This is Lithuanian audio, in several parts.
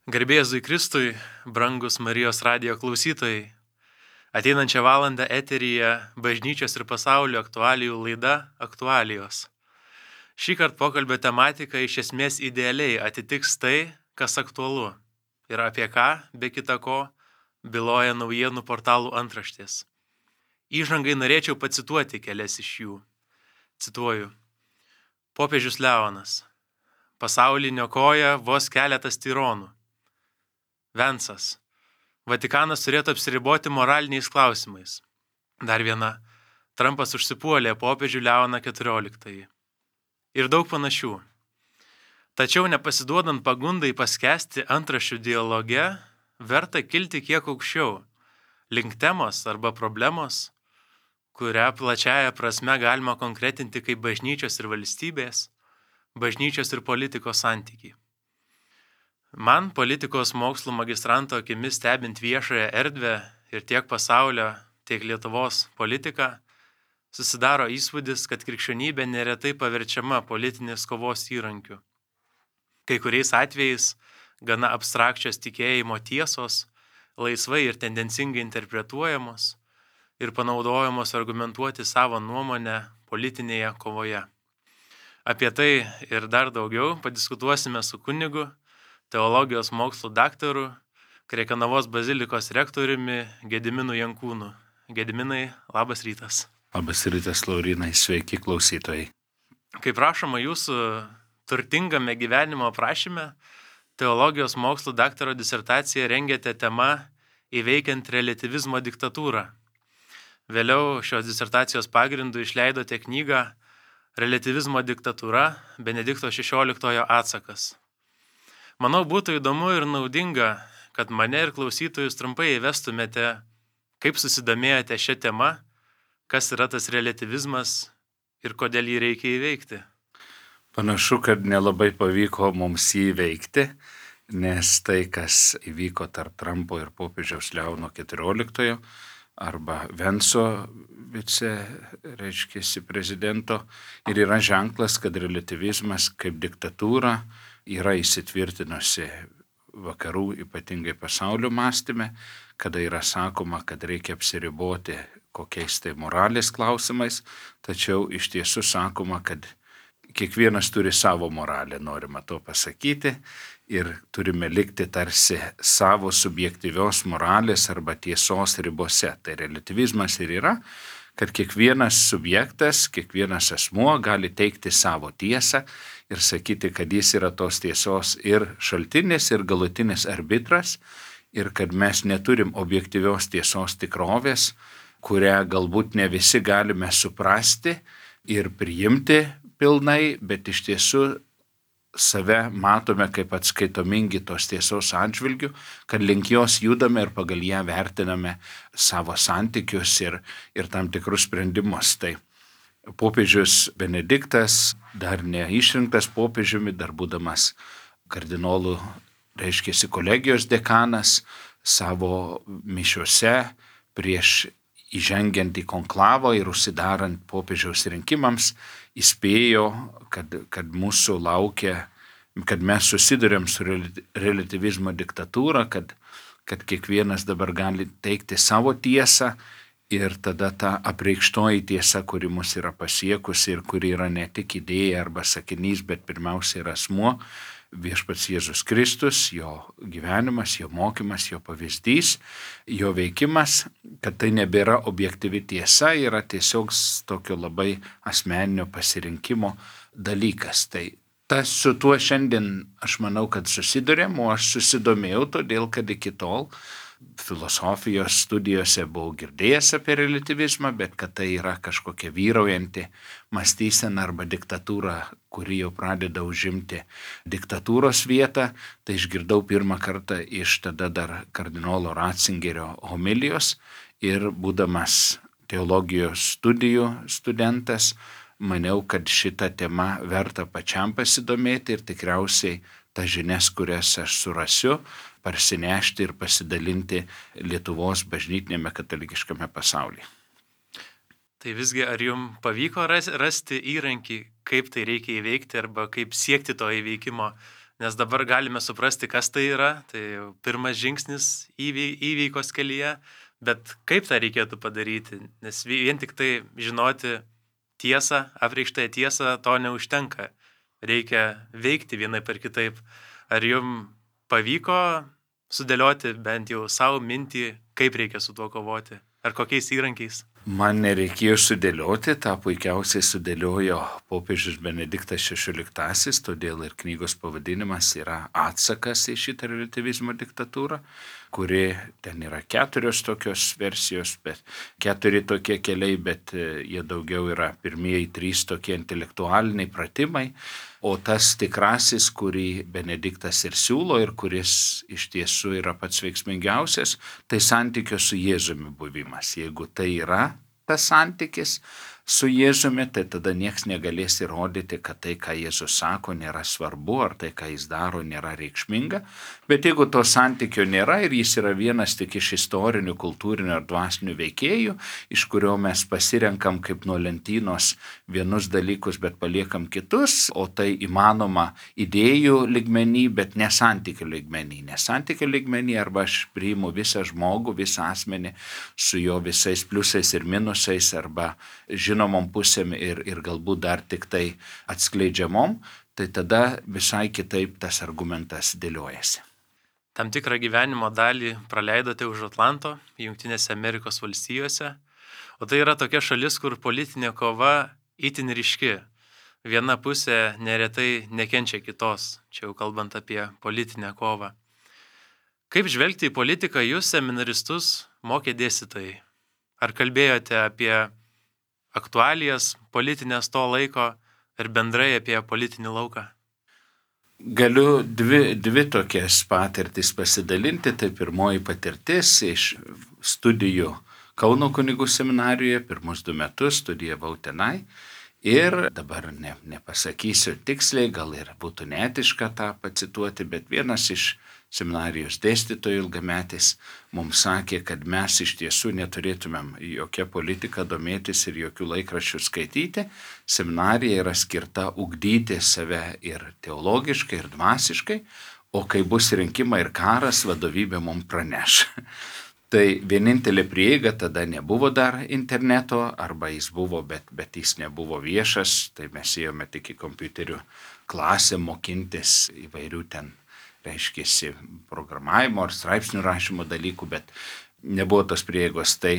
Garbė Jėzui Kristui, brangus Marijos radijo klausytojai. Ateinančią valandą eteryje bažnyčios ir pasaulio aktualijų laida Aktualijos. Šįkart pokalbio tematika iš esmės idealiai atitiks tai, kas aktualu ir apie ką, be kita ko, byloja naujienų portalų antraštės. Įžangai norėčiau pacituoti kelias iš jų. Cituoju. Popiežius Leonas. Pasaulį niokoja vos keletas tironų. Vensas. Vatikanas turėtų apsiriboti moraliniais klausimais. Dar viena. Trumpas užsipuolė popiežių Leoną XIV. Ir daug panašių. Tačiau nepasiduodant pagundai paskęsti antraščių dialoge, verta kilti kiek aukščiau, link temos arba problemos, kurią plačiaja prasme galima konkretinti kaip bažnyčios ir valstybės, bažnyčios ir politikos santykiai. Man politikos mokslų magistranto akimis stebint viešąją erdvę ir tiek pasaulio, tiek Lietuvos politiką, susidaro įspūdis, kad krikščionybė neretai paverčiama politinės kovos įrankiu. Kai kuriais atvejais gana abstrakčios tikėjimo tiesos, laisvai ir tendencingai interpretuojamos ir panaudojamos argumentuoti savo nuomonę politinėje kovoje. Apie tai ir dar daugiau padiskutuosime su kunigu, teologijos mokslų daktaru, Krekenavos bazilikos rektoriumi Gediminu Jankūnu. Gediminai, labas rytas. Labas rytas, Laurinai, sveiki klausytojai. Kaip rašoma jūsų turtingame gyvenimo aprašyme, teologijos mokslų daktaro disertaciją rengėte tema Įveikiant reliatyvizmo diktatūrą. Vėliau šios disertacijos pagrindu išleidote knygą Reliatyvizmo diktatūra – Benedikto XVI atsakas. Manau, būtų įdomu ir naudinga, kad mane ir klausytojus trumpai įvestumėte, kaip susidomėjote šią temą, kas yra tas reliatyvizmas ir kodėl jį reikia įveikti. Panašu, kad nelabai pavyko mums jį įveikti, nes tai, kas įvyko tarp Trumpo ir popiežiaus Leono XIV arba Venso prezidento, ir yra ženklas, kad reliatyvizmas kaip diktatūra yra įsitvirtinusi vakarų, ypatingai pasaulio mąstyme, kada yra sakoma, kad reikia apsiriboti kokiais tai moralės klausimais, tačiau iš tiesų sakoma, kad kiekvienas turi savo moralę, norima to pasakyti, ir turime likti tarsi savo subjektyvios moralės arba tiesos ribose. Tai reliatyvizmas ir yra, kad kiekvienas subjektas, kiekvienas asmuo gali teikti savo tiesą ir sakyti, kad jis yra tos tiesos ir šaltinis, ir galutinis arbitras, ir kad mes neturim objektyvios tiesos tikrovės, kurią galbūt ne visi galime suprasti ir priimti pilnai, bet iš tiesų save matome kaip atskaitomingi tos tiesos atžvilgių, kad link jos judame ir pagal ją vertiname savo santykius ir tam tikrus sprendimus. Tai popiežius Benediktas, dar neišrinktas popiežiumi, dar būdamas kardinolų, kolegijos dekanas, savo mišiose prieš įžengiant į konklavą ir užsidarant popiežiaus rinkimams, įspėjo, kad mūsų laukia, kad mes susidurėm su reliatyvizmo diktatūra, kad kiekvienas dabar gali teikti savo tiesą ir tada ta apreikštoji tiesa, kuri mus yra pasiekusi ir kuri yra ne tik idėja arba sakinys, bet pirmiausia yra asmuo, Viešpats Jėzus Kristus, jo gyvenimas, jo mokymas, jo pavyzdys, jo veikimas, kad tai nebėra objektyvi tiesa, yra tiesiog tokio labai asmeninio pasirinkimo dalykas. Tai su tuo šiandien aš manau, kad susidurėm, o aš susidomėjau todėl, kad iki tol filosofijos studijose buvau girdėjęs apie reliatyvizmą, bet kad tai yra kažkokia vyraujanti mąstysena arba diktatūra, kuri jau pradeda užimti diktatūros vietą, tai išgirdau pirmą kartą iš tada dar kardinolo Ratzingerio homilijos ir būdamas teologijos studijų studentas, maniau, kad šitą temą verta pačiam pasidomėti ir tikriausiai tas žinias, kurias aš surasiu, parsinešti ir pasidalinti Lietuvos bažnytinėme katalikiškame pasaulyje. Tai visgi ar jums pavyko rasti įrankį, kaip tai reikia įveikti arba kaip siekti to įveikimo nes dabar galime suprasti, kas tai yra, tai jau pirmas žingsnis įveikos kelyje, bet kaip tą reikėtų padaryti, nes vien tik tai žinoti tiesą, apreikštąją tiesą, to neužtenka, reikia veikti vienai per kitaip. Ar jums pavyko sudėlioti bent jau savo mintį, kaip reikia su tuo kovoti, ar kokiais įrankiais? Man nereikėjo sudėlioti, tą puikiausiai sudėliojo popiežius Benediktas XVI, todėl ir knygos pavadinimas yra atsakas į šitą relativizmo diktatūrą, kuri ten yra 4 tokios versijos, bet 4 tokie keliai, bet jie daugiau yra pirmieji 3 tokie intelektualiniai pratimai, o tas tikrasis, kurį Benediktas ir siūlo ir kuris iš tiesų yra pats veiksmingiausias, tai santykio su Jėzumi buvimas. Jeigu tai yra tas santykis su Jėzumi, tai tada nieks negalės įrodyti, kad tai, ką Jėzus sako, nėra svarbu, ar tai, ką jis daro, nėra reikšminga. Bet jeigu to santykio nėra ir jis yra vienas tik iš istorinių, kultūrinių ar dvasinių veikėjų, iš kurio mes pasirenkam kaip nuo lentynos vienus dalykus, bet paliekam kitus, o tai įmanoma idėjų lygmenį, bet ne santykių lygmenį. Ne santykių lygmenį, arba aš priimu visą žmogų, visą asmenį su jo visais pliusais ir minusais, arba žinomom pusėm ir galbūt dar tik tai atskleidžiamom, tai tada visai kitaip tas argumentas dėliojasi. Tam tikrą gyvenimo dalį praleidote už Atlanto, Jungtinėse Amerikos valstijose, o tai yra tokia šalis, kur politinė kova itin ryški. Viena pusė neretai nekenčia kitos, čia jau kalbant apie politinę kovą. Kaip žvelgti į politiką jūs, seminaristus, mokė dėstytojai? Ar kalbėjote apie aktualijas politinės to laiko ir bendrai apie politinį lauką? Galiu dvi tokias patirtis pasidalinti. Tai pirmoji patirtis iš studijų Kauno kunigų seminarijoje, pirmus 2 metus studijavau tenai. Ir dabar nepasakysiu tiksliai, gal ir būtų neetiška tą pacituoti, bet vienas iš seminarijos dėstytojų ilgametis mums sakė, kad mes iš tiesų neturėtumėm jokią politiką domėtis ir jokių laikraščių skaityti. Seminarija yra skirta ugdyti save ir teologiškai, ir dvasiškai, o kai bus rinkimai ir karas, vadovybė mums praneš. Tai vienintelė prieiga, tada nebuvo dar interneto, arba jis buvo, bet jis nebuvo viešas, tai mes ėjome tik į kompiuterių klasę mokintis įvairių ten, reiškėsi, programavimo ar straipsnių rašymo dalykų, bet nebuvo tos prieigos. Tai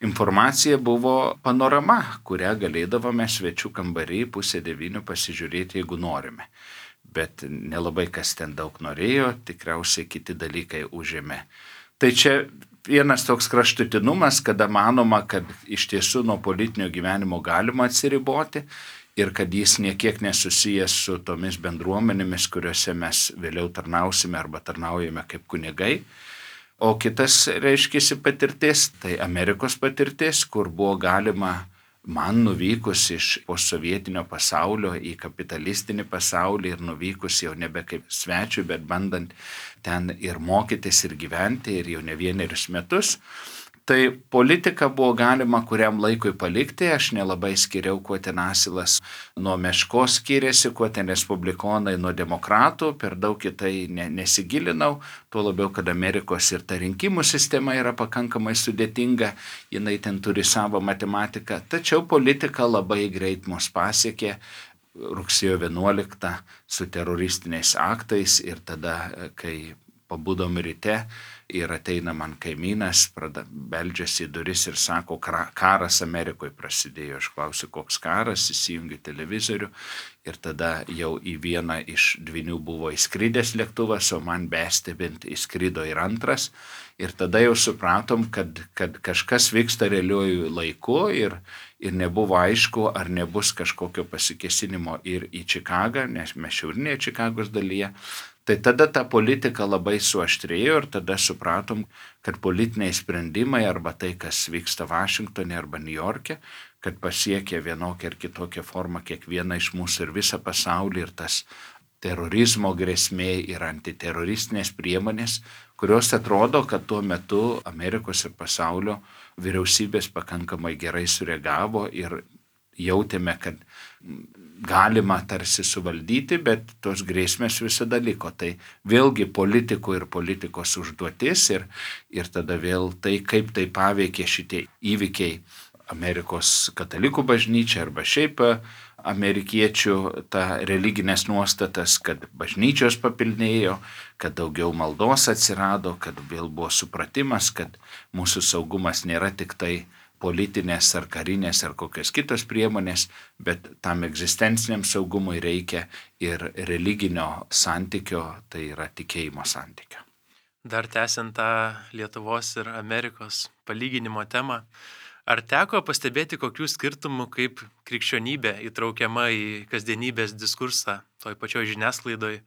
informacija buvo panorama, kurią galėdavome svečių kambarį 8:30 pasižiūrėti, jeigu norime. Bet nelabai kas ten daug norėjo, tikriausiai kiti dalykai užėmė. Tai čia vienas toks kraštutinumas, kada manoma, kad iš tiesų nuo politinio gyvenimo galima atsiriboti ir kad jis niekiek nesusijęs su tomis bendruomenėmis, kuriuose mes vėliau tarnausime arba tarnaujame kaip kunigai. O kitas, reiškiasi, patirtis, tai Amerikos patirtis, kur buvo galima man nuvykus iš posovietinio pasaulio į kapitalistinį pasaulį ir nuvykus jau nebe kaip svečių, bet bandant ten ir mokytis ir gyventi ir jau ne 1 metus. Tai politiką buvo galima kuriam laikui palikti, aš nelabai skiriau, kuo ten Asilas nuo Meškos skiriasi, kuo ten respublikonai nuo demokratų, per daug į tai nesigilinau, tuo labiau, kad Amerikos ir ta rinkimų sistema yra pakankamai sudėtinga, jinai ten turi savo matematiką, tačiau politika labai greit mus pasiekė rugsėjo 11 su teroristiniais aktais ir tada, kai pabudom ryte, ir ateina man kaimynas, beldžiasi į duris ir sako, karas Amerikoje prasidėjo. Aš klausiu, koks karas, įsijungiu televizorių ir tada jau į vieną iš dvynių buvo įskridęs lėktuvas, o man bestebint įskrido ir antras. Ir tada jau supratom, kad kažkas vyksta realiuoju laiku ir nebuvo aišku, ar nebus kažkokio pasikėsinimo ir į Čikagą, nes mes šiaurinėje Čikagos dalyje. Tai tada ta politika labai suaštrėjo ir tada supratom, kad politiniai sprendimai arba tai, kas vyksta Vašingtone arba Niujorke, kad pasiekia vienokią ir kitokią formą kiekvieną iš mūsų ir visą pasaulį ir tas terorizmo grėsmė ir antiteroristinės priemonės, kurios atrodo, kad tuo metu Amerikos ir pasaulio vyriausybės pakankamai gerai sureagavo ir jautėme, kad galima tarsi suvaldyti, bet tos grėsmės visada liko. Tai vėlgi politikų ir politikos užduotis ir tada vėl tai, kaip tai paveikė šitie įvykiai Amerikos katalikų bažnyčia arba šiaip amerikiečių ta religinės nuostatas, kad bažnyčios papilnėjo, kad daugiau maldos atsirado, kad vėl buvo supratimas, kad mūsų saugumas nėra tik tai politinės ar karinės ar kokios kitos priemonės, bet tam egzistenciniam saugumui reikia ir religinio santykio, tai yra tikėjimo santykio. Dar tęsiant tą Lietuvos ir Amerikos palyginimo temą, ar teko pastebėti kokių skirtumų, kaip krikščionybė įtraukiama į kasdienybės diskursą toj pačioj žiniasklaidoj?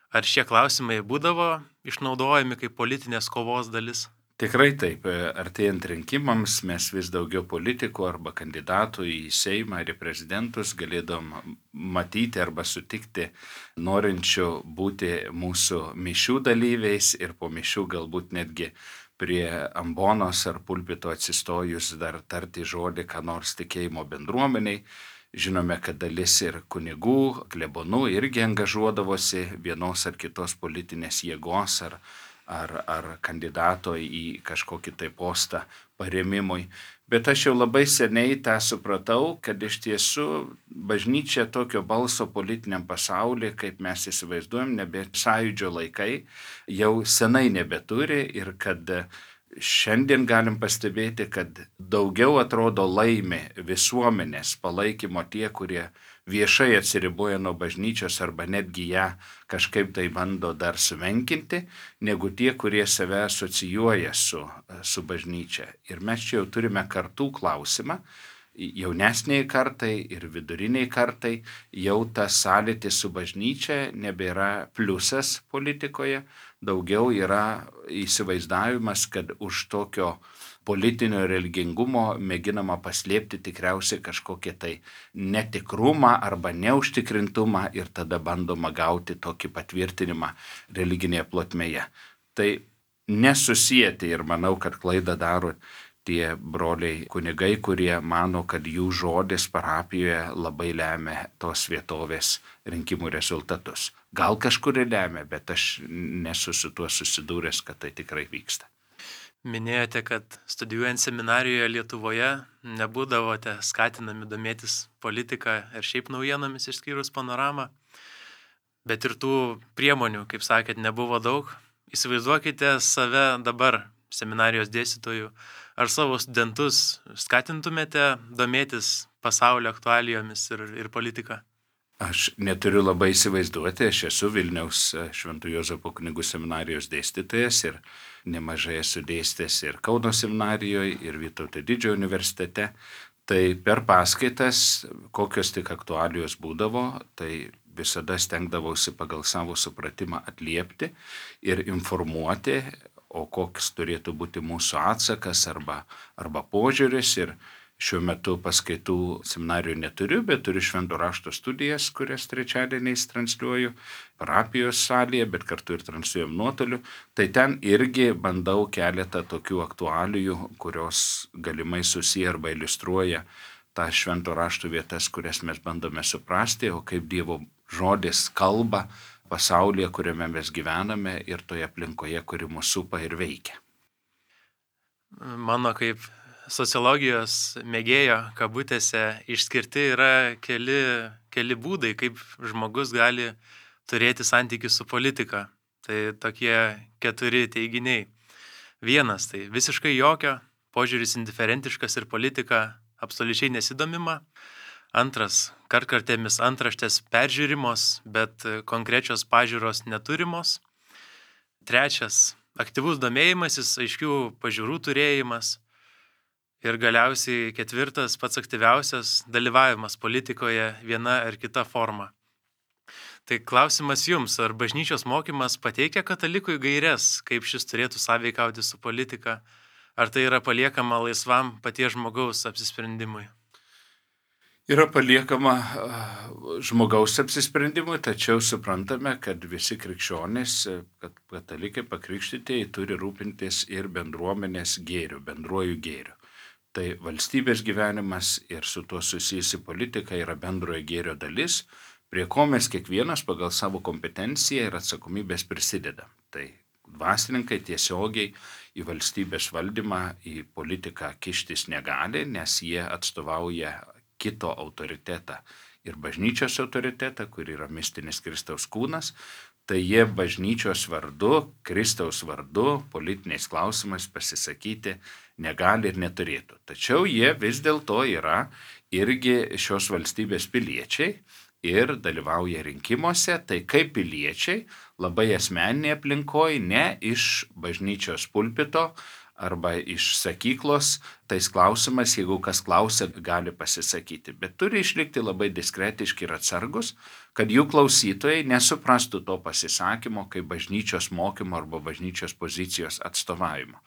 Ar šie klausimai būdavo išnaudojami kaip politinės kovos dalis? Tikrai taip. Artėjant rinkimams mes vis daugiau politikų arba kandidatų į Seimą ir į prezidentus galėdom matyti arba sutikti norinčių būti mūsų mišių dalyviais ir po mišių galbūt netgi prie ambonos ar pulpito atsistojus dar tarti žodį, ką nors tikėjimo bendruomeniai. Žinome, kad dalis ir kunigų, klebonų irgi angažuodavosi vienos ar kitos politinės jėgos ar kandidato į kažkokį tai postą paremimui. Bet aš jau labai seniai tą supratau, kad iš tiesų bažnyčia tokio balso politiniam pasaulyje, kaip mes įsivaizduojam, nebe sąjūdžio laikai, jau senai nebeturi ir kad šiandien galim pastebėti, kad daugiau atrodo laimi visuomenės palaikymo tie, kurie viešai atsiriboja nuo bažnyčios arba netgi ją kažkaip tai bando dar sumenkinti, negu tie, kurie save asocijuoja su bažnyčia. Ir mes čia jau turime kartų klausimą. Jaunesniai kartai ir viduriniai kartai jau tas sąlytis su bažnyčia nebėra pliusas politikoje, daugiau yra įsivaizdavimas, kad už tokio politinio religingumo mėginama paslėpti tikriausiai kažkokią tai netikrumą arba neužtikrintumą ir tada bandoma gauti tokį patvirtinimą religinėje plotmėje. Tai nesusijęti ir manau, kad klaidą daro tie broliai kunigai, kurie mano, kad jų žodis parapijoje labai lemia tos vietovės rinkimų rezultatus. Gal kažkur ir lemia, bet aš nesu su tuo susidūręs, kad tai tikrai vyksta. Minėjote, kad studijuojant seminarijoje Lietuvoje nebūdavote skatinami domėtis politika ir šiaip naujienomis išskyrus panoramą, bet ir tų priemonių, kaip sakėt, nebuvo daug. Įsivaizduokite save dabar seminarijos dėstytojų, ar savo studentus skatintumėte domėtis pasaulio aktualijomis ir politika? Aš neturiu labai įsivaizduoti, aš esu Vilniaus Šventų Juozapo kunigų seminarijos dėstytojas ir nemažai esu dėstęs ir Kauno seminarijoje, ir Vytauto Didžiojo universitete. Tai per paskaitas, kokios tik aktualijos būdavo, tai visada stengdavausi pagal savo supratimą atliepti ir informuoti, o koks turėtų būti mūsų atsakas arba požiūris. Ir šiuo metu paskaitų seminarijų neturiu, bet turiu švento rašto studijas, kurias trečiadieniais transliuoju parapijos salėje, bet kartu ir transliuojam nuotoliu. Tai ten irgi bandau keletą tokių aktualijų, kurios galimai susiję arba iliustruoja tą švento rašto vietas, kurias mes bandome suprasti, o kaip Dievo žodis kalba pasaulyje, kuriame mes gyvename ir toje aplinkoje, kuri mus supa ir veikia. Mano kaip sociologijos mėgėjo kabutėse išskirti yra keli būdai, kaip žmogus gali turėti santykių su politika. Tai tokie 4 teiginiai. 1, tai visiškai jokio, požiūris indiferentiškas ir politika absoliučiai nesidomima. 2, kartkartėmis antraštės peržiūrimos, bet konkrečios pažiūros neturimos. 3, aktyvus domėjimasis, aiškių pažiūrų turėjimas. Ir galiausiai 4, pats aktyviausias, dalyvavimas politikoje viena ar kita forma. Tai klausimas jums, ar bažnyčios mokymas pateikia katalikui gaires, kaip šis turėtų sąveikauti su politika, ar tai yra paliekama laisvam paties žmogaus apsisprendimui? Yra paliekama žmogaus apsisprendimui, tačiau suprantame, kad visi krikščionys, kad katalikai pakrikštytieji turi rūpintis ir bendruomenės gėriu, bendruoju gėriu. Tai valstybės gyvenimas ir su tuo susijusi politika yra bendrojo gėrio dalis, prie ko mes kiekvienas pagal savo kompetenciją ir atsakomybės prisidedam. Tai dvasininkai tiesiogiai į valstybės valdymą, į politiką kištis negali, nes jie atstovauja kito autoritetą ir bažnyčios autoritetą, kur yra mistinis Kristaus kūnas, tai jie bažnyčios vardu, Kristaus vardu, politiniais klausimais pasisakyti negali ir neturėtų. Tačiau jie vis dėlto yra irgi šios valstybės piliečiai ir dalyvauja rinkimuose, tai kaip piliečiai labai asmeninėje aplinkoje, ne iš bažnyčios pulpito arba iš sakyklos, tais klausimas, jeigu kas klausia, gali pasisakyti. Bet turi išlikti labai diskretiški ir atsargus, kad jų klausytojai nesuprastų to pasisakymo kaip bažnyčios mokymo arba bažnyčios pozicijos atstovavimo.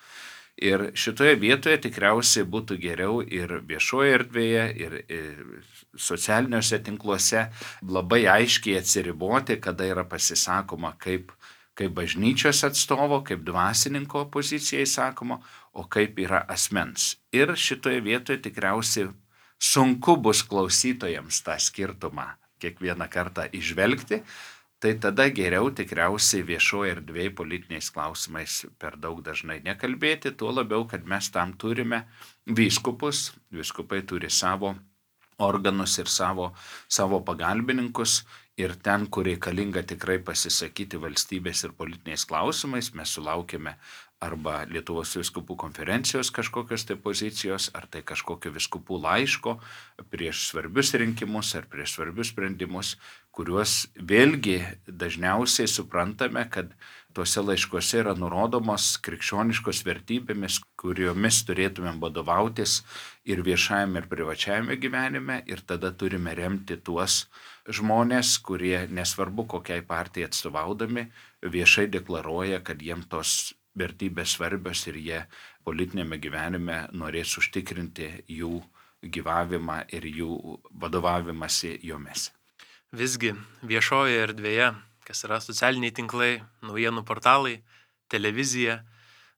Ir šitoje vietoje tikriausiai būtų geriau ir viešoje erdvėje, ir socialiniuose tinkluose labai aiškiai atsiriboti, kada yra pasisakoma kaip bažnyčios atstovo, kaip dvasininko pozicijai sakoma, o kaip yra asmens. Ir šitoje vietoje tikriausiai sunku bus klausytojams tą skirtumą kiekvieną kartą išvelgti, tai tada geriau tikriausiai viešoje erdvėje politiniais klausimais per daug dažnai nekalbėti, tuo labiau, kad mes tam turime vyskupus, vyskupai turi savo organus ir savo pagalbininkus, ir ten, kur reikalinga tikrai pasisakyti valstybės ir politiniais klausimais, mes sulaukėme arba Lietuvos vyskupų konferencijos kažkokios tai pozicijos, ar tai kažkokio vyskupų laiško prieš svarbius rinkimus ar prieš svarbius sprendimus, kuriuos vėlgi dažniausiai suprantame, kad tuose laiškuose yra nurodomos krikščioniškos vertybėmis, kuriomis turėtumėm vadovautis ir viešajame ir privačiajame gyvenime, ir tada turime remti tuos žmonės, kurie nesvarbu kokiai partijai atstovaudami viešai deklaruoja, kad jiems tos vertybės svarbios ir jie politinėme gyvenime norės užtikrinti jų gyvavimą ir jų vadovavimąsi jomis. Visgi viešojoje erdvėje, kas yra socialiniai tinklai, naujienų portalai, televizija,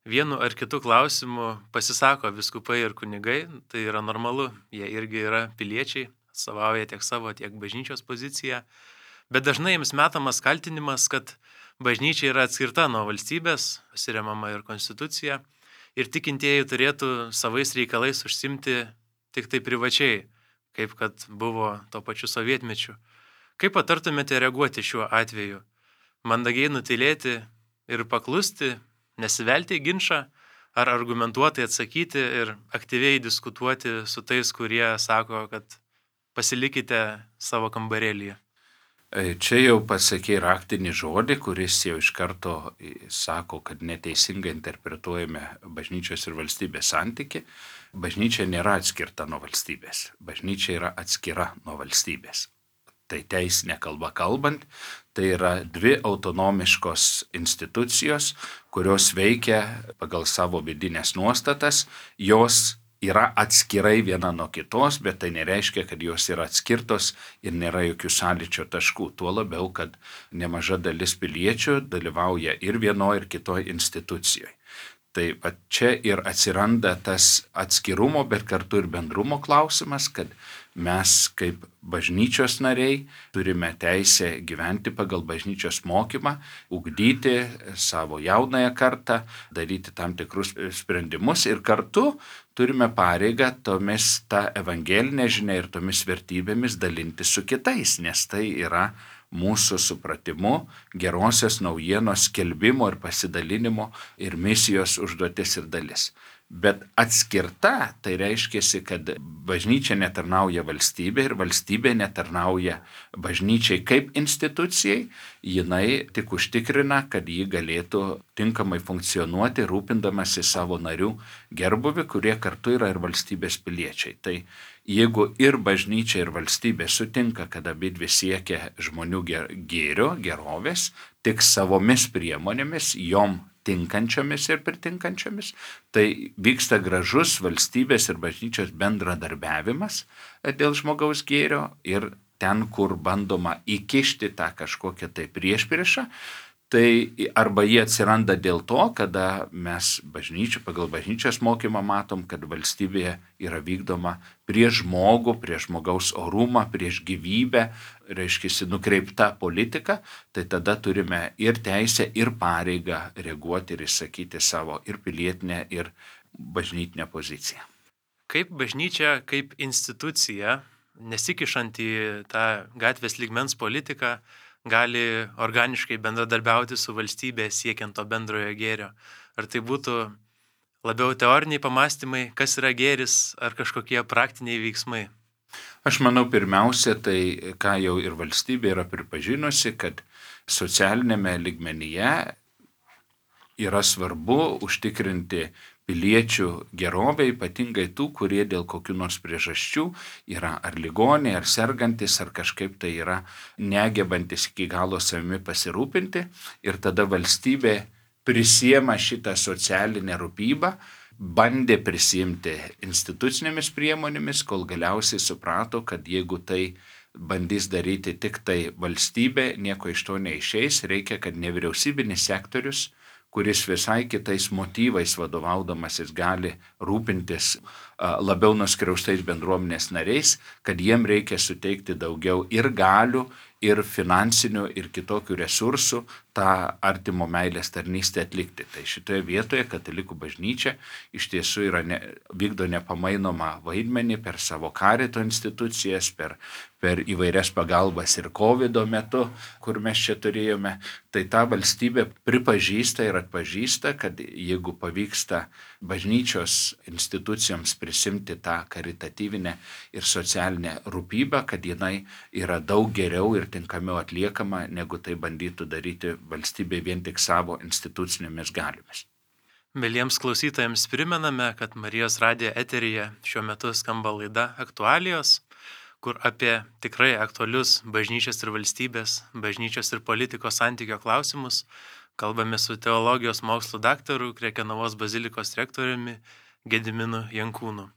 vienu ar kitu klausimu pasisako vyskupai ir kunigai, tai yra normalu, jie irgi yra piliečiai, atstovauja tiek savo, tiek bažnyčios poziciją, bet dažnai jiems metamas kaltinimas, kad bažnyčia yra atskirta nuo valstybės, pasiremama ir konstitucija, ir tikintieji turėtų savais reikalais užsimti tik tai privačiai, kaip kad buvo tuo pačiu sovietmečiu. Kaip patartumėte reaguoti šiuo atveju? Mandagiai nutylėti ir paklusti, nesivelti į ginčą, ar argumentuotai atsakyti ir aktyviai diskutuoti su tais, kurie sako, kad pasilikite savo kambarėlyje? Čia jau pasakė raktinį žodį, kuris jau iš karto sako, kad neteisingai interpretuojame bažnyčios ir valstybės santyki. Bažnyčia nėra atskirta nuo valstybės. Bažnyčia yra atskira nuo valstybės. Tai teisinė kalba kalbant, tai yra dvi autonomiškos institucijos, kurios veikia pagal savo vidinės nuostatas, jos yra atskirai viena nuo kitos, bet tai nereiškia, kad jos yra atskirtos ir nėra jokių sąlyčio taškų. Tuo labiau, kad nemaža dalis piliečių dalyvauja ir vienoje, ir kitoje institucijoje. Tai čia ir atsiranda tas atskirumo, bet kartu ir bendrumo klausimas, kad mes kaip bažnyčios nariai turime teisę gyventi pagal bažnyčios mokymą, ugdyti savo jaunąją kartą, daryti tam tikrus sprendimus ir kartu turime pareigą tomis tą evangelinę žinią ir tomis vertybėmis dalinti su kitais, nes tai yra mūsų supratimu gerosios naujienos skelbimo ir pasidalinimo ir misijos užduotis ir dalis. Bet atskirta, tai reiškia, kad bažnyčia netarnauja valstybė ir valstybė netarnauja bažnyčiai kaip institucijai, jinai tik užtikrina, kad ji galėtų tinkamai funkcionuoti, rūpindamasi savo narių gerbuvi, kurie kartu yra ir valstybės piliečiai. Tai jeigu ir bažnyčia, ir valstybė sutinka, kad abidvi siekia žmonių gėrio, gerovės, tik savomis priemonėmis, jom tinkančiomis ir pritinkančiomis, tai vyksta gražus valstybės ir bažnyčios bendradarbiavimas dėl žmogaus gėrio ir ten, kur bandoma įkišti tą kažkokią tai priešpriešą, Tai arba jie atsiranda dėl to, kada mes pagal bažnyčios mokymą matom, kad valstybėje yra vykdoma prieš žmogų, prieš žmogaus orumą, prieš gyvybę, reiškia, nukreipta politika, tai tada turime ir teisę, ir pareigą reaguoti ir išsakyti savo ir pilietinę, ir bažnytinę poziciją. Kaip bažnyčia, kaip institucija, nesikišant į tą gatvės lygmens politiką, gali organiškai bendradarbiauti su valstybė siekiant to bendrojo gėrio? Ar tai būtų labiau teoriniai pamastymai, kas yra gėris, ar kažkokie praktiniai veiksmai? Aš manau, pirmiausia, tai ką jau ir valstybė yra pripažinusi, kad socialinėme lygmenyje yra svarbu užtikrinti piliečių gerovę, ypatingai tų, kurie dėl kokių nors priežasčių yra ar ligoniai, ar sergantis, ar kažkaip tai yra negebantis iki galo savimi pasirūpinti. Ir tada valstybė prisiema šitą socialinę rūpybą, bandė prisimti institucinėmis priemonėmis, kol galiausiai suprato, kad jeigu tai bandys daryti tik tai valstybė, nieko iš to neišeis, reikia, kad nevyriausybinis sektorius, kuris visai kitais motyvais vadovaudamasis gali rūpintis labiau nuskriaustais bendruomenės nariais, kad jiem reikia suteikti daugiau ir galių, ir finansinių, ir kitokių resursų tą artimo meilės tarnystę atlikti. Tai šitoje vietoje katalikų bažnyčia iš tiesų vykdo nepamainomą vaidmenį per savo karito institucijas, per įvairias pagalbas ir COVID metu, kur mes čia turėjome. Tai ta valstybė pripažįsta ir atpažįsta, kad jeigu pavyksta bažnyčios institucijoms prisimti tą karitatyvinę ir socialinę rūpybą, kad jinai yra daug geriau ir tinkamiau atliekama, negu tai bandytų daryti valstybė vien tik savo institucinėmis galiomis. Mieliems klausytojams primename, kad Marijos radijo eteryje šiuo metu skamba laida Aktualijos, kur apie tikrai aktualius bažnyčios ir valstybės, bažnyčios ir politikos santykio klausimus kalbame su teologijos mokslų daktaru, Krekenavos bazilikos rektoriumi Gediminu Jankūnu.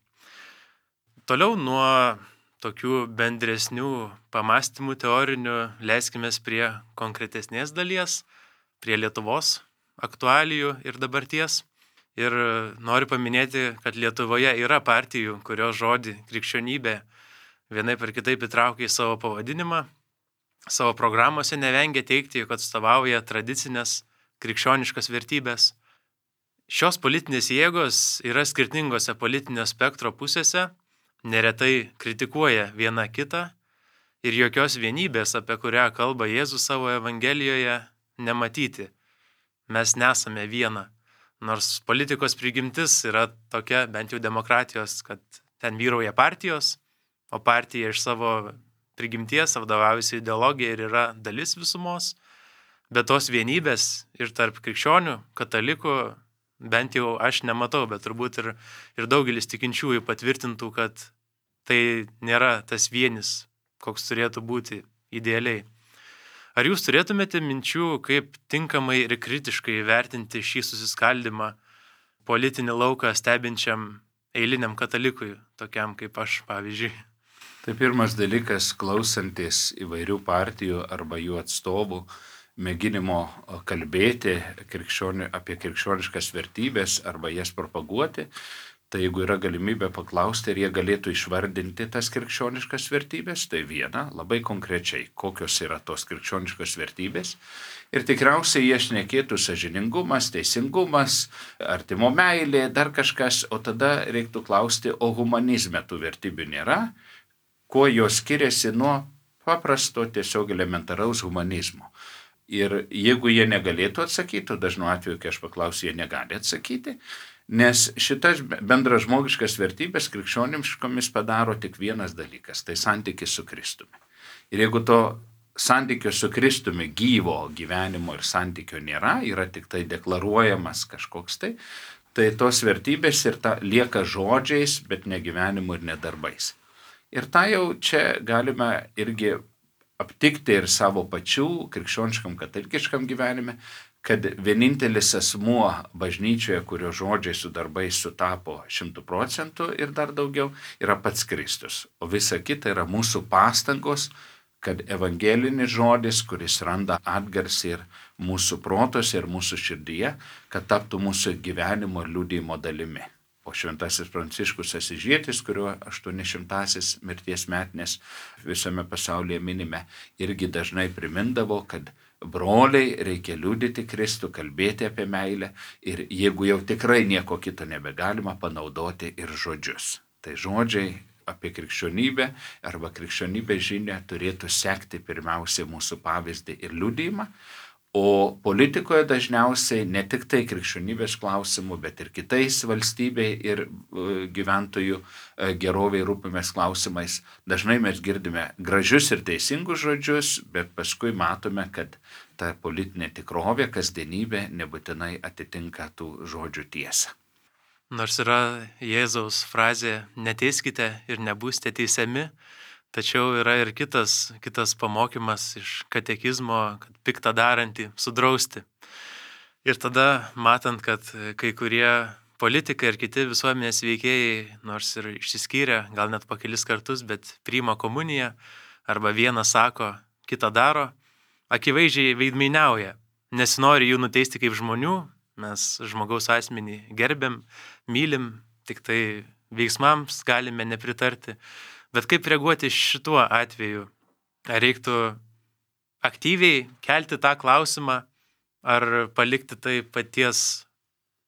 Toliau nuo tokių bendresnių pamastymų teorinių leiskime prie konkretesnės dalies, prie Lietuvos aktualijų ir dabarties. Ir noriu paminėti, kad Lietuvoje yra partijų, kurios žodį krikščionybė vienaip ar kitaip įtraukia į savo pavadinimą. Savo programuose nevengia teikti, jog atstovauja tradicinės krikščioniškas vertybės. Šios politinės jėgos yra skirtingose politinio spektro pusėse, neretai kritikuoja viena kitą ir jokios vienybės, apie kurią kalba Jėzus savo Evangelijoje, nematyti. Mes nesame viena. Nors politikos prigimtis yra tokia, bent jau demokratijos, kad ten vyrauja partijos, o partija iš savo prigimties vadovaujasi ideologija ir yra dalis visumos, bet tos vienybės ir tarp krikščionių, katalikų, bent jau aš nematau, bet turbūt ir daugelis tikinčiųjų patvirtintų, kad tai nėra tas vienis, koks turėtų būti idealiai. Ar jūs turėtumėte minčių, kaip tinkamai ir kritiškai vertinti šį susiskaldimą politinį lauką stebinčiam eiliniam katalikui, tokiam kaip aš, pavyzdžiui? Tai pirmas dalykas, klausantis įvairių partijų arba jų atstovų mėginimo kalbėti apie krikščioniškas vertybės arba jas propaguoti, tai jeigu yra galimybė paklausti, ar jie galėtų išvardinti tas krikščioniškas vertybės, tai viena, labai konkrečiai, kokios yra tos krikščioniškos vertybės. Ir tikriausiai jie šnekėtų sąžiningumas, teisingumas, artimo meilė, dar kažkas, o tada reiktų klausti, o humanizme tų vertybių nėra, kuo jos skiriasi nuo paprasto tiesiog elementaraus humanizmo. Ir jeigu jie negalėtų atsakyti, o dažnu atveju, kai aš paklausiu, jie negali atsakyti, nes šitas bendras žmogiškas vertybės krikščioniškomis padaro tik vienas dalykas, tai santykis su Kristumi. Ir jeigu to santykio su Kristumi gyvo gyvenimo ir santykio nėra, yra tik tai deklaruojamas kažkoks tai tos vertybės ir lieka žodžiais, bet ne gyvenimu ir ne darbais. Ir tą jau čia galime irgi aptikti ir savo pačių krikščioniškam katalikiškam gyvenime, kad vienintelis asmuo bažnyčioje, kurio žodžiai su darbais sutapo 100% ir dar daugiau, yra pats Kristus. O visa kita yra mūsų pastangos kad evangelinis žodis, kuris randa atgarsį ir mūsų protuose, ir mūsų širdyje, kad taptų mūsų gyvenimo ir liudijimo dalimi. O šventasis Pranciškus Asyžietis, kurio 800-asis mirties metinės visame pasaulyje minime, irgi dažnai primindavo, kad broliai, reikia liudyti Kristų, kalbėti apie meilę ir jeigu jau tikrai nieko kito nebegalima, panaudoti ir žodžius. Tai žodžiai apie krikščionybę arba krikščionybės žinią turėtų sekti pirmiausiai mūsų pavyzdį ir liudijimą, o politikoje dažniausiai ne tik tai krikščionybės klausimų, bet ir kitais valstybei ir gyventojų geroviai rūpimės klausimais. Dažnai mes girdime gražius ir teisingus žodžius, bet paskui matome, kad ta politinė tikrovė, kasdienybė nebūtinai atitinka tų žodžių tiesą. Nors yra Jėzaus frazė neteiskite ir nebūsite teisiami, tačiau yra ir kitas pamokymas iš katekizmo, kad piktą darantį sudrausti. Ir tada, matant, kad kai kurie politikai ir kiti visuomenės veikėjai, nors ir išsiskyrė, gal net po kelis kartus, bet priima komuniją, arba vieną sako, kitą daro, akivaizdžiai veidmainiauja. Nesinori jų nuteisti kaip žmonių, mes žmogaus asmenį gerbėm, mylim, tik tai veiksmams galime nepritarti. Bet kaip reaguoti šituo atveju? Ar reiktų aktyviai kelti tą klausimą, ar palikti tai paties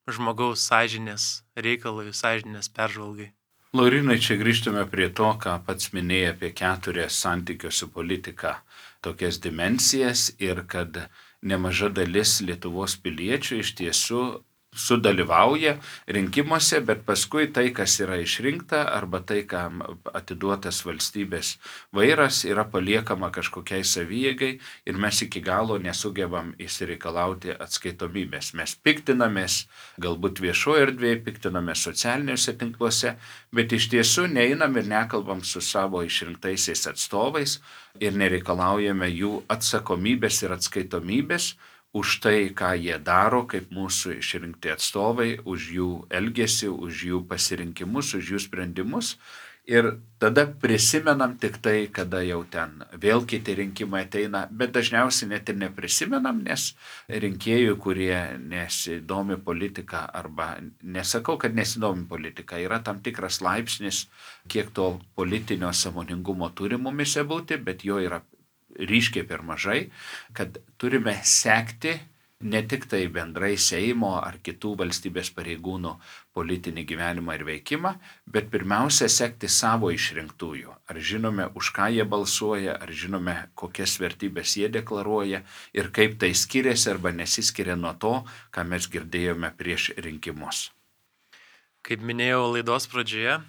žmogaus sąžinės reikalui, sąžinės peržvalgai? Laurinai, čia grįžtume prie to, ką pats minėjai apie 4 santykio su politika tokias dimensijas ir kad nemaža dalis Lietuvos piliečių iš tiesų sudalyvauja rinkimuose, bet paskui tai, kas yra išrinkta arba tai, kam atiduotas valstybės vairas, yra paliekama kažkokiai savijėgai ir mes iki galo nesugebam išsireikalauti atskaitomybės. Mes piktinamės galbūt viešoje erdvėje, piktinamės socialiniuose tinkluose, bet iš tiesų neinam ir nekalbam su savo išrinktaisiais atstovais ir nereikalaujame jų atsakomybės ir atskaitomybės už tai, ką jie daro, kaip mūsų išrinkti atstovai, už jų elgesį, už jų pasirinkimus, už jų sprendimus. Ir tada prisimenam tik tai, kada jau ten vėl kiti rinkimai ateina, bet dažniausiai net ir neprisimenam, nes rinkėjų, kurie nesidomi politika, arba nesakau, kad nesidomi politika, yra tam tikras laipsnis, kiek to politinio sąmoningumo turi mumise būti, bet jo yra ryškiai per mažai, kad turime sekti ne tik tai bendrai Seimo ar kitų valstybės pareigūnų politinį gyvenimą ir veikimą, bet pirmiausia sekti savo išrinktųjų. Ar žinome, už ką jie balsuoja, ar žinome, kokias vertybės jie deklaruoja ir kaip tai skiriasi arba nesiskiria nuo to, ką mes girdėjome prieš rinkimus. Kaip minėjau laidos pradžioje,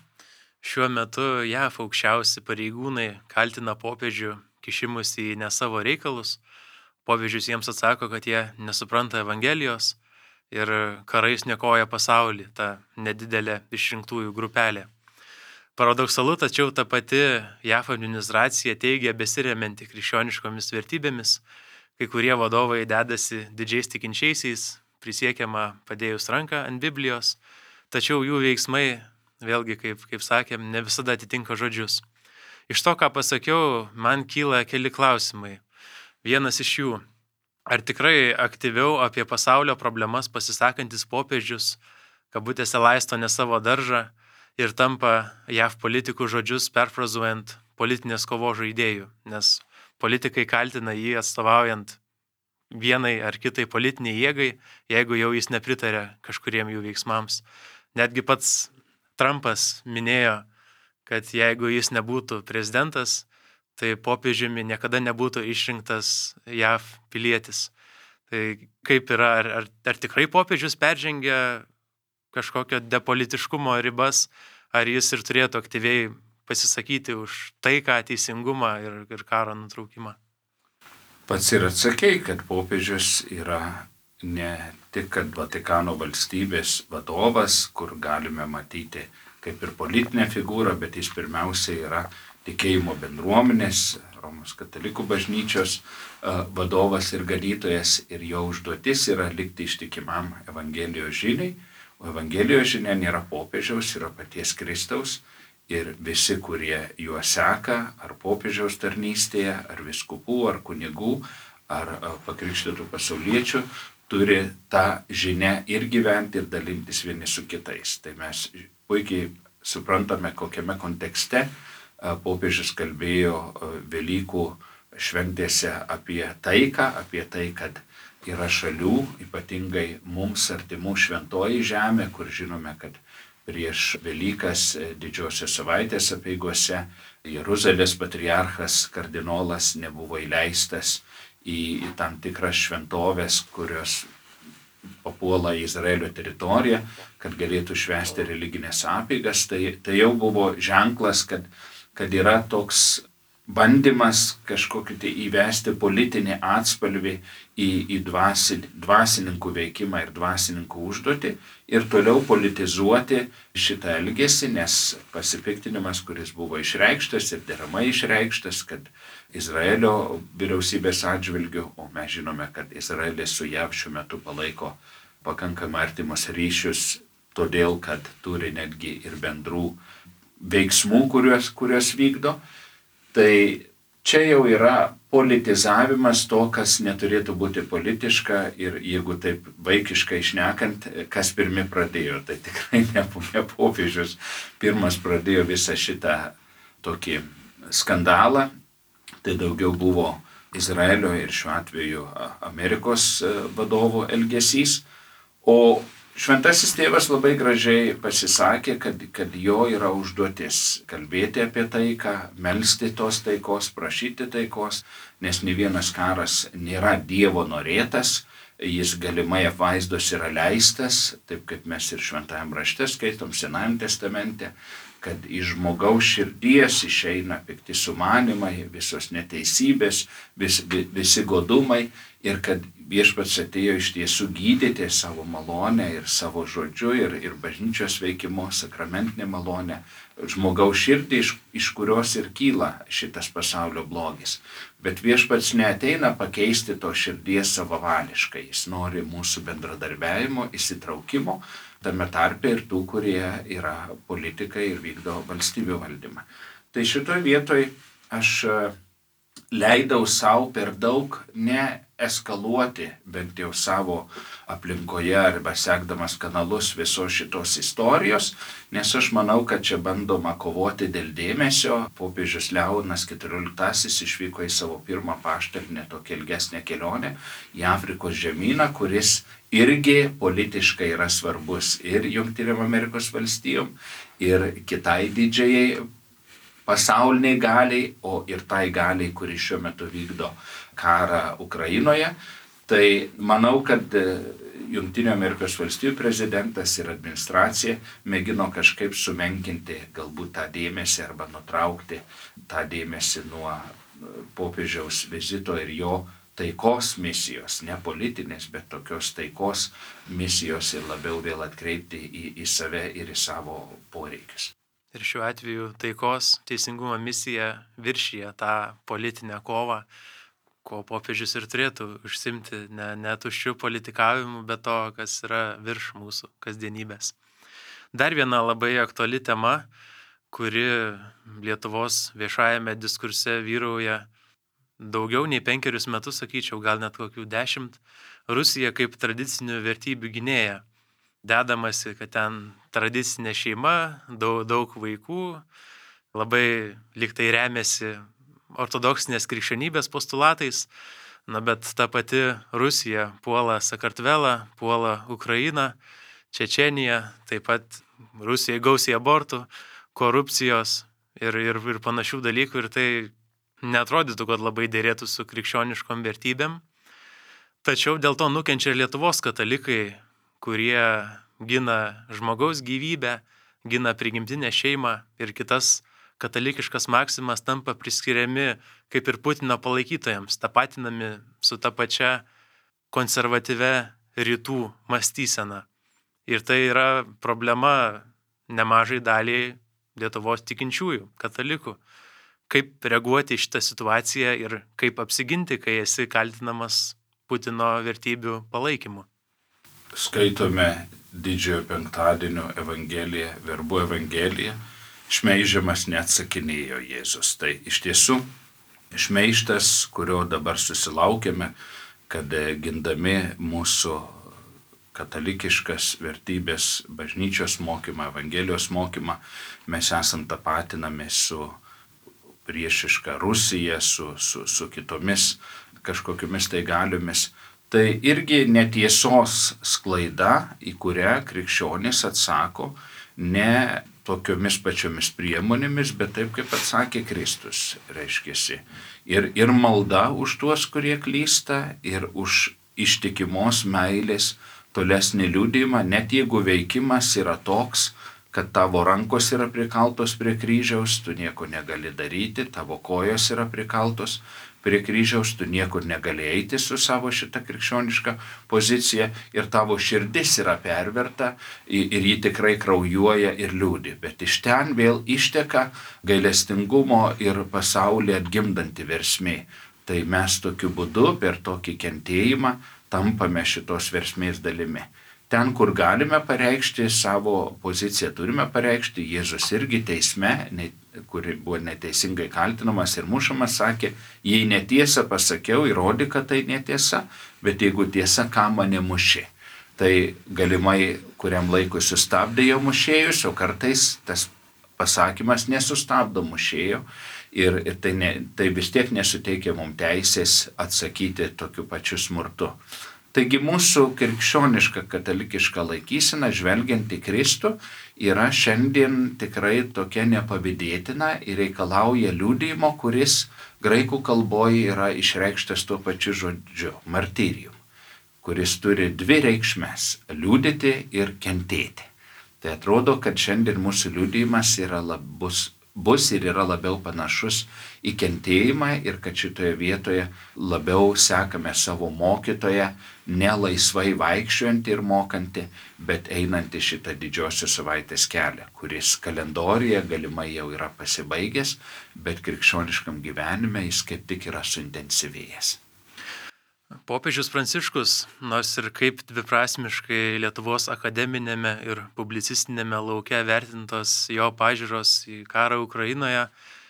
šiuo metu JAV aukščiausi pareigūnai kaltina popiežių kišimus į ne savo reikalus. Popiežius jiems atsako, kad jie nesupranta Evangelijos ir karais niokoja pasaulį, ta nedidelė išrinktųjų grupelė. Paradoksalu, tačiau ta pati JAF administracija teigia besiremianti krikščioniškomis vertybėmis, kai kurie vadovai dedasi didžiais tikinčiaisiais, prisiekiama padėjus ranką ant Biblijos, tačiau jų veiksmai, vėlgi, kaip sakėm, ne visada atitinka žodžius. Iš to, ką pasakiau, man kyla keli klausimai. Vienas iš jų, ar tikrai aktyviau apie pasaulio problemas pasisakantis popiežius, kabutėse laisto ne savo daržą ir tampa JAV politikų žodžius perfrazuojant politinės kovos žaidėjų, nes politikai kaltina jį atstovaujant vienai ar kitai politiniai jėgai, jeigu jau jis nepritarė kažkuriem jų veiksmams. Netgi pats Trumpas minėjo, kad jeigu jis nebūtų prezidentas, tai popiežiumi niekada nebūtų išrinktas JAV pilietis. Tai kaip yra, ar tikrai popiežius peržengia kažkokio depolitiškumo ribas, ar jis ir turėtų aktyviai pasisakyti už taiką, teisingumą ir karo nutraukimą? Pats ir atsakei, kad popiežius yra ne tik kad Vatikano valstybės vadovas, kur galime matyti kaip ir politinė figūra, bet jis pirmiausia yra tikėjimo bendruomenės, Romos katalikų bažnyčios vadovas ir ganytojas, ir jo užduotis yra likti ištikimam Evangelijos žiniai, o Evangelijos žinia nėra popiežiaus, yra paties Kristaus, ir visi, kurie juo seka, ar popiežiaus tarnystėje, ar viskupų, ar kunigų, ar pakrikštytų pasauliečių, turi tą žinią ir gyventi, ir dalintis vieni su kitais. Tai mes puikiai suprantame, kokiame kontekste popiežius kalbėjo Velykų šventėse apie taiką, apie tai, kad yra šalių, ypatingai mums artimų Šventoji Žemė, kur žinome, kad prieš Velykas didžiosios savaitės apeigose Jeruzalės patriarchas kardinolas nebuvo įleistas į tam tikras šventovės, kurios papuola į Izraelio teritoriją, kad galėtų švęsti religinės apeigas. Tai jau buvo ženklas, kad yra toks bandymas kažkokį tai įvesti politinį atspalvį į dvasininkų veikimą ir dvasininkų užduotį ir toliau politizuoti šitą elgesį, nes pasipiktinimas, kuris buvo išreikštas ir deramai išreikštas, kad Izraelio vyriausybės atžvilgių, o mes žinome, kad Izraelis su JAV šiuo metu palaiko pakankamai artimus ryšius, todėl kad turi netgi ir bendrų veiksmų, kuriuos vykdo. Tai čia jau yra politizavimas to, kas neturėtų būti politiška ir jeigu taip vaikiškai šnekant, kas pirmi pradėjo, tai tikrai ne popiežius pirmas pradėjo visą šitą tokį skandalą, tai daugiau buvo Izraelio ir šiuo atveju Amerikos vadovų elgesys, o Šventasis tėvas labai gražiai pasisakė, kad jo yra užduotis kalbėti apie taiką, melsti tos taikos, prašyti taikos, nes nė vienas karas nėra Dievo norėtas, jis galimai apvaizdos yra leistas, taip kaip mes ir Šventajam rašte skaitom Senajam testamente, kad iš žmogaus širdies išeina pikti sumanimai, visos neteisybės, visi godumai ir kad Viešpats atėjo iš tiesų gydyti savo malonę ir savo žodžiu ir bažnyčios veikimu, sakramentinė malonė, žmogaus širdį, iš kurios ir kyla šitas pasaulio blogis. Bet Viešpats neateina pakeisti to širdies savavališkai, jis nori mūsų bendradarbiavimo, įsitraukimo, tame tarpe ir tų, kurie yra politikai ir vykdo valstybių valdymą. Tai šitoj vietoj aš leidau savo per daug neeskaluoti, bent jau savo aplinkoje arba sekdamas kanalus visos šitos istorijos, nes aš manau, kad čia bandoma kovoti dėl dėmesio. Popiežius Leonas XIV išvyko į savo pirmą apaštalinę tokią ilgesnę kelionę į Afrikos žemyną, kuris irgi politiškai yra svarbus ir Jungtinėm Amerikos valstijom, ir kitai didžiajai pasauliniai galiai, o ir tai galiai, kuri šiuo metu vykdo karą Ukrainoje. Tai manau, kad Jungtinių Amerikos valstijų prezidentas ir administracija mėgino kažkaip sumenkinti galbūt tą dėmesį arba nutraukti tą dėmesį nuo popiežiaus vizito ir jo taikos misijos, ne politinės, bet tokios taikos misijos ir labiau vėl atkreipti į save ir į savo poreikius. Ir šiuo atveju taikos teisingumo misija viršyje tą politinę kovą, ko popiežius ir turėtų užsimti, ne tuščių politikavimų, bet to, kas yra virš mūsų kasdienybės. Dar viena labai aktuali tema, kuri Lietuvos viešajame diskurse vyrauja daugiau nei 5 metus, sakyčiau, gal net kokių 10, Rusija kaip tradicinių vertybių gynėja. Dedamasi, kad ten tradicinė šeima, daug vaikų, labai liktai remiasi ortodoksinės krikščionybės postulatais, bet ta pati Rusija puola Sakartvelą, puola Ukrainą, Čečėniją, taip pat Rusijai gausiai abortų, korupcijos ir panašių dalykų, ir tai neatrodytų, kad labai dėrėtų su krikščioniškom vertybėm. Tačiau dėl to nukenčia ir Lietuvos katalikai, kurie gina žmogaus gyvybę, gina prigimtinę šeimą ir kitas katalikiškas maksimas tampa priskiriami kaip ir Putino palaikytojams, tapatinami su ta pačia konservatyvia rytų mąstysena. Ir tai yra problema nemažai daliai Lietuvos tikinčiųjų, katalikų. Kaip reaguoti į šitą situaciją ir kaip apsiginti, kai esi kaltinamas Putino vertybių palaikymu. Skaitome Didžiojo penktadienio Evangeliją, Verbų Evangeliją šmeižiamas neatsakinėjo Jėzus. Tai iš tiesų šmeižtas, kurio dabar susilaukėme, kad gindami mūsų katalikiškas vertybės, bažnyčios mokymą, Evangelijos mokymą, mes esam tapatinami su priešiška Rusija, su kitomis kažkokiamis tai galiomis. Tai irgi netiesos sklaida, į kurią krikščionys atsako ne tokiomis pačiomis priemonėmis, bet taip, kaip atsakė Kristus, reiškiasi. Ir malda už tuos, kurie klysta, ir už ištikimos meilės tolesnį liudijimą, net jeigu veikimas yra toks, kad tavo rankos yra prikaltos prie kryžiaus, tu nieko negali daryti, tavo kojos yra prikaltos prie kryžiaus, tu niekur negali eiti su savo šitą krikščionišką poziciją ir tavo širdis yra perverta ir ji tikrai kraujuoja ir liūdi. Bet iš ten vėl išteka gailestingumo ir pasaulį atgimdanti versmė. Tai mes tokiu būdu per tokį kentėjimą tampame šitos versmės dalimi. Ten, kur galime pareikšti savo poziciją, turime pareikšti. Jėzus irgi teisme, kuri buvo neteisingai kaltinamas ir mušamas, sakė, jei netiesą pasakiau, įrodyk, kad tai netiesa, bet jeigu tiesa, ką mane muši. Tai galimai kuriam laikui sustabdė jo mušėjus, o kartais tas pasakymas nesustabdo mušėjo ir tai vis tiek nesuteikia mums teisės atsakyti tokiu pačiu smurtu. Taigi mūsų krikščioniška katalikiška laikysena, žvelgiant į Kristų, yra šiandien tikrai tokia nepavydėtina ir reikalauja liudijimo, kuris graikų kalboje yra išreikštas tuo pačiu žodžiu – martyrium, kuris turi dvi reikšmes – liudyti ir kentėti. Tai atrodo, kad šiandien mūsų liudijimas bus ir yra labiau panašus į kentėjimą ir kad šitoje vietoje labiau sekame savo mokytoją, ne laisvai vaikščiojantį ir mokantį, bet einantį šitą didžiosios savaitės kelią, kuris kalendorijoje galimai jau yra pasibaigęs, bet krikščioniškam gyvenime jis kaip tik yra suintensyvėjęs. Popiežius Pranciškus, nors ir kaip dviprasmiškai Lietuvos akademinėme ir publicistinėme lauke vertintos jo pažiūros į karą Ukrainoje,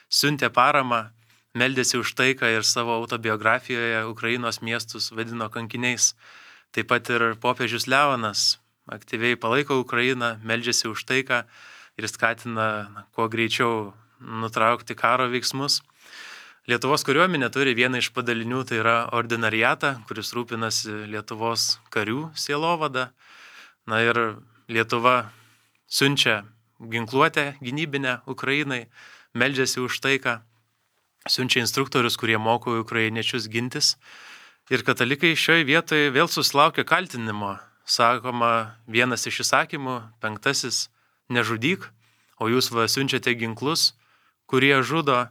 siuntė paramą, meldėsi už taiką ir savo autobiografijoje Ukrainos miestus vadino kankiniais. Taip pat ir popiežius Leonas aktyviai palaiko Ukrainą, meldžiasi už taiką ir skatina kuo greičiau nutraukti karo veiksmus. Lietuvos kariuomenė turi vieną iš padalinių, tai yra ordinariatą, kuris rūpinasi Lietuvos karių sielovada. Na ir Lietuva siunčia ginkluotę gynybinę Ukrainai, meldžiasi už taiką, siunčia instruktorius, kurie moko ukrainiečius gintis. Ir katalikai šioje vietoje vėl susilaukia kaltinimo. Sakoma, vienas iš įsakymų, 5, nežudyk, o jūs siunčiate ginklus, kurie žudo.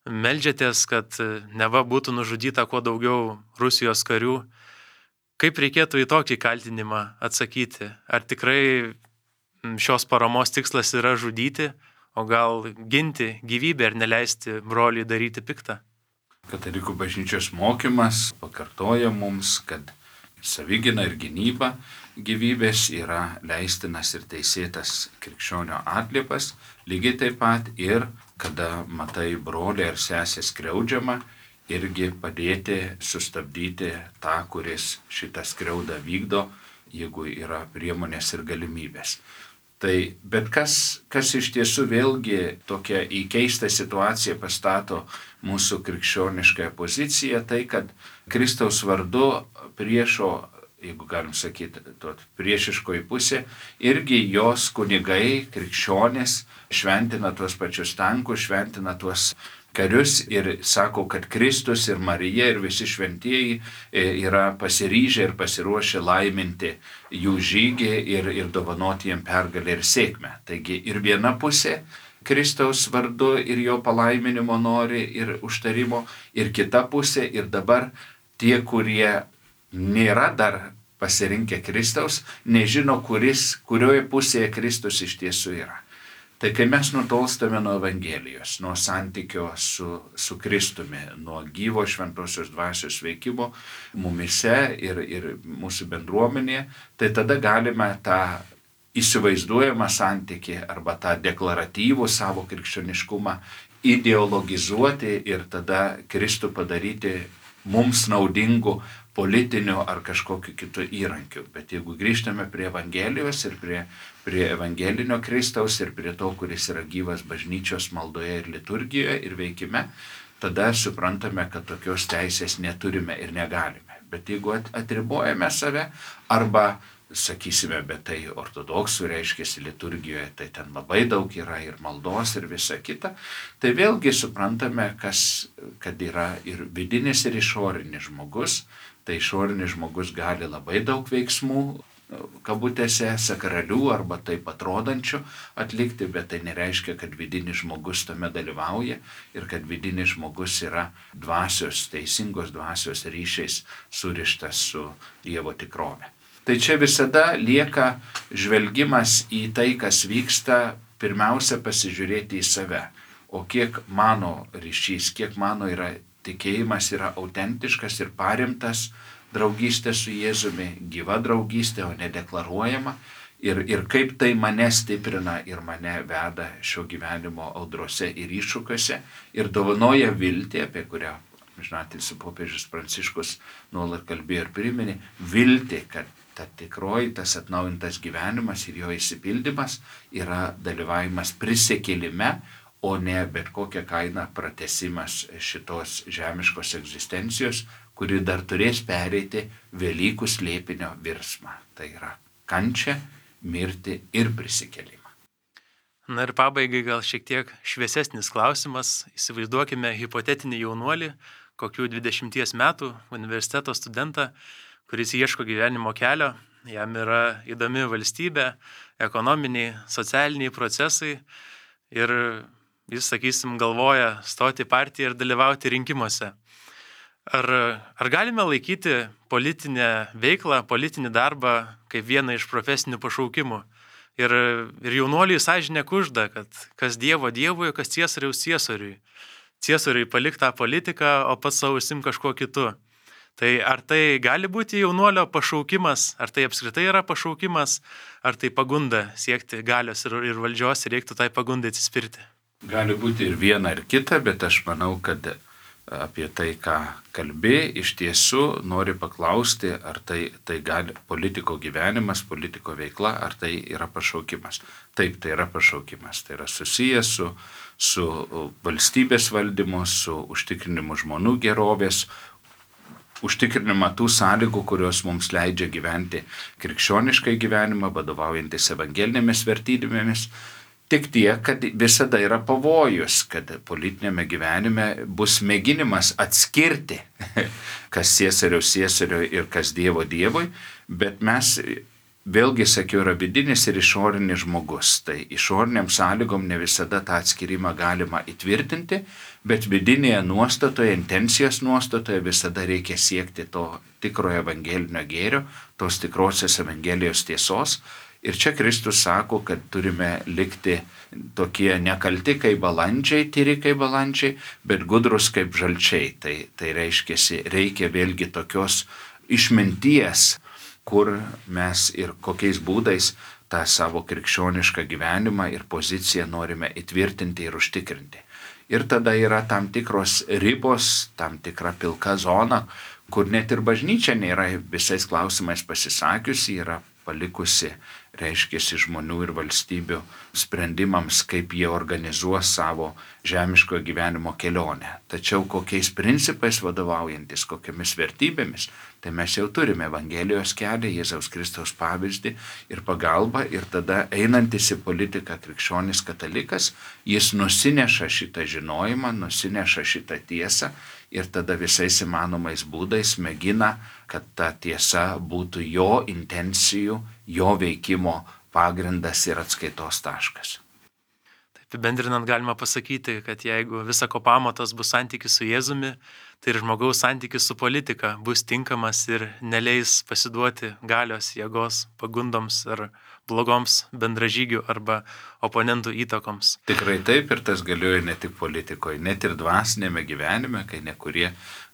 Meldžiatės, kad neva būtų nužudyta kuo daugiau Rusijos karių. Kaip reikėtų į tokį kaltinimą atsakyti? Ar tikrai šios paramos tikslas yra žudyti, o gal ginti gyvybę ir neleisti broliui daryti piktą? Katalikų bažnyčios mokymas pakartoja mums, kad savigyna ir gynyba gyvybės yra leistinas ir teisėtas krikščionio atliepas, lygiai taip pat ir kada matai brolį ar sesę skriaudžiamą, irgi padėti sustabdyti tą, kuris šitą skriaudą vykdo, jeigu yra priemonės ir galimybės. Tai bet kas iš tiesų vėlgi tokia į keistą situaciją pastato mūsų krikščioniškąją poziciją, tai kad Kristaus vardu priešo, jeigu galim sakyti, priešiškoji pusė, irgi jos kunigai, krikščionys šventina tuos pačius tankus, šventina tuos karius ir sako, kad Kristus ir Marija ir visi šventieji yra pasiryžę ir pasiruošę laiminti jų žygį ir dovanoti jiem pergalę ir sėkmę. Taigi ir viena pusė Kristaus vardu ir jo palaiminimo nori ir užtarimo, ir kita pusė ir dabar tie, kurie nėra dar pasirinkę Kristaus, nežino, kurioje pusėje Kristus iš tiesų yra. Tai kai mes nutolstame nuo Evangelijos, nuo santykio su Kristumi, nuo gyvo šventosios dvasios veikimo mumise ir mūsų bendruomenėje, tai tada galime tą įsivaizduojamą santykį arba tą deklaratyvų savo krikščioniškumą ideologizuoti ir tada Kristų padaryti mums naudingų politinių ar kažkokiu kitų įrankių. Bet jeigu grįžtame prie Evangelijos ir prie evangelinio Kristaus ir prie to, kuris yra gyvas bažnyčios maldoje ir liturgijoje ir veikime, tada suprantame, kad tokios teisės neturime ir negalime. Bet jeigu atribojame save arba sakysime, bet tai ortodoksų reiškiasi liturgijoje, tai ten labai daug yra ir maldos ir visa kita, tai vėlgi suprantame, kad yra ir vidinis ir išorinis žmogus. Tai išorinis žmogus gali labai daug veiksmų, kabutėse, sakralių arba taip atrodančių atlikti, bet tai nereiškia, kad vidinis žmogus tame dalyvauja ir kad vidinis žmogus yra dvasios, teisingos dvasios ryšiais surištas su Dievo tikrove. Tai čia visada lieka žvelgimas į tai, kas vyksta, pirmiausia pasižiūrėti į save. O kiek mano ryšys, kiek mano yra tikėjimas yra autentiškas ir paremtas draugystė su Jėzumi, gyva draugystė, o nedeklaruojama. Ir kaip tai mane stiprina ir mane veda šio gyvenimo audrose ir iššūkiuose ir dovanoja viltį, apie kurią, žinote, popiežius Pranciškus nuolat kalbėjo ir priminė, viltį, kad ta tikroji, tas atnaujintas gyvenimas ir jo išsipildymas yra dalyvavimas prisikėlime, o ne bet kokią kainą pratęsimas šitos žemiškos egzistencijos, kuri dar turės pereiti Velykų slėpinio virsmą. Tai yra kančią, mirtį ir prisikėlimą. Na ir pabaigai gal šiek tiek šviesesnis klausimas. Įsivaizduokime hipotetinį jaunuolį, kokių 20 metų universiteto studentą, kuris ieško gyvenimo kelio, jam yra įdomi valstybė, ekonominiai, socialiniai procesai ir jis, sakysim, galvoja stoti į partiją ir dalyvauti rinkimuose. Ar galime laikyti politinę veiklą, politinį darbą kaip vieną iš profesinių pašaukimų? Ir jaunuoliui sąžinė kužda, kad kas Dievo Dievui, kas Ciesoriaus Ciesoriui. Ciesoriui palik tą politiką, o pats savo užsim kažkuo kitu. Tai ar tai gali būti jaunuolio pašaukimas, ar tai apskritai yra pašaukimas, ar tai pagunda siekti galios ir valdžios ir reiktų tai pagundai atsispirti? Gali būti ir viena, ir kita, bet aš manau, kad apie tai, ką kalbė, iš tiesų nori paklausti, ar tai gali politiko gyvenimas, politiko veikla, ar tai yra pašaukimas. Taip, tai yra pašaukimas. Tai yra susijęs su valstybės valdymu, su užtikrinimu žmonių gerovės, užtikrinimą tų sąlygų, kurios mums leidžia gyventi krikščioniškai gyvenimą, vadovaujantis evangelinėmis vertybėmis. Tik tiek, kad visada yra pavojus, kad politinėme gyvenime bus mėginimas atskirti, kas Ciesoriaus ir kas Dievo Dievui, bet mes, vėlgi sakiau, yra vidinis ir išorinis žmogus. Tai išoriniam sąlygom ne visada tą atskirimą galima įtvirtinti, bet vidinėje nuostatoje, intencijos nuostatoje visada reikia siekti to tikrojo evangelinio gėrio, tos tikrosios evangelijos tiesos. Ir čia Kristus sako, kad turime likti tokie nekalti kaip balandžiai, tyri kaip balandžiai, bet gudrus kaip žalčiai. Tai reikia vėlgi tokios išminties, kur mes ir kokiais būdais tą savo krikščionišką gyvenimą ir poziciją norime įtvirtinti ir užtikrinti. Ir tada yra tam tikros ribos, tam tikra pilka zona, kur net ir bažnyčia nėra visais klausimais pasisakiusi, yra palikusi, žmonių ir valstybių sprendimams, kaip jie organizuos savo žemiško gyvenimo kelionę. Tačiau kokiais principais vadovaujantis, kokiamis vertybėmis, tai mes jau turime Evangelijos kelią, Jėzaus Kristaus pavyzdį ir pagalbą, ir tada einantis į politiką krikščionis katalikas, jis nusineša šitą žinojimą, nusineša šitą tiesą ir tada visais įmanomais būdais mėgina, kad ta tiesa būtų jo intencijų, jo veikimo pagrindas ir atskaitos taškas. Taip, bendrinant galima pasakyti, kad jeigu visako pamatas bus santykis su Jėzumi, tai ir žmogaus santykis su politika bus tinkamas ir neleis pasiduoti galios, jėgos, pagundoms ar blogoms bendražygių arba oponentų įtakoms. Tikrai taip, ir tas galioja ne tik politikoje, net ir dvasinėme gyvenime, kai nekurie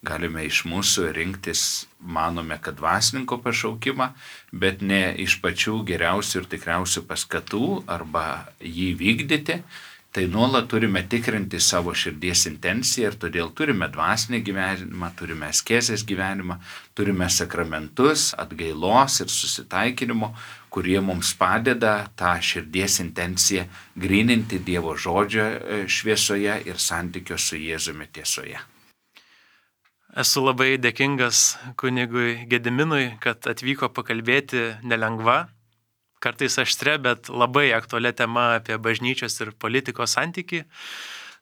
galime iš mūsų rinktis, manome, kad dvasininko pašaukimą, bet ne iš pačių geriausių ir tikriausių paskatų arba jį vykdyti. Tai nuolat turime tikrinti savo širdies intenciją ir todėl turime dvasinį gyvenimą, turime askezės gyvenimą, turime sakramentus, atgailos ir susitaikinimo, kurie mums padeda tą širdies intenciją gryninti Dievo žodžio šviesoje ir santykio su Jėzumi tiesoje. Esu labai dėkingas kunigui Gediminui, kad atvyko pakalbėti nelengva, kartais aštre, bet labai aktualia tema apie bažnyčios ir politikos santykį.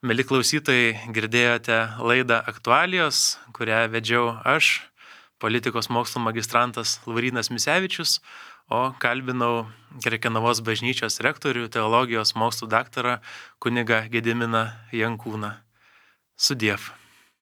Mieli klausytojai, girdėjote laidą Aktualijos, kurią vedžiau aš, politikos mokslo magistrantas Laurynas Misevičius, o kalbinau Krekenavos bažnyčios rektorių, teologijos mokslų daktarą kunigą Gediminą Jankūną. Sudiev.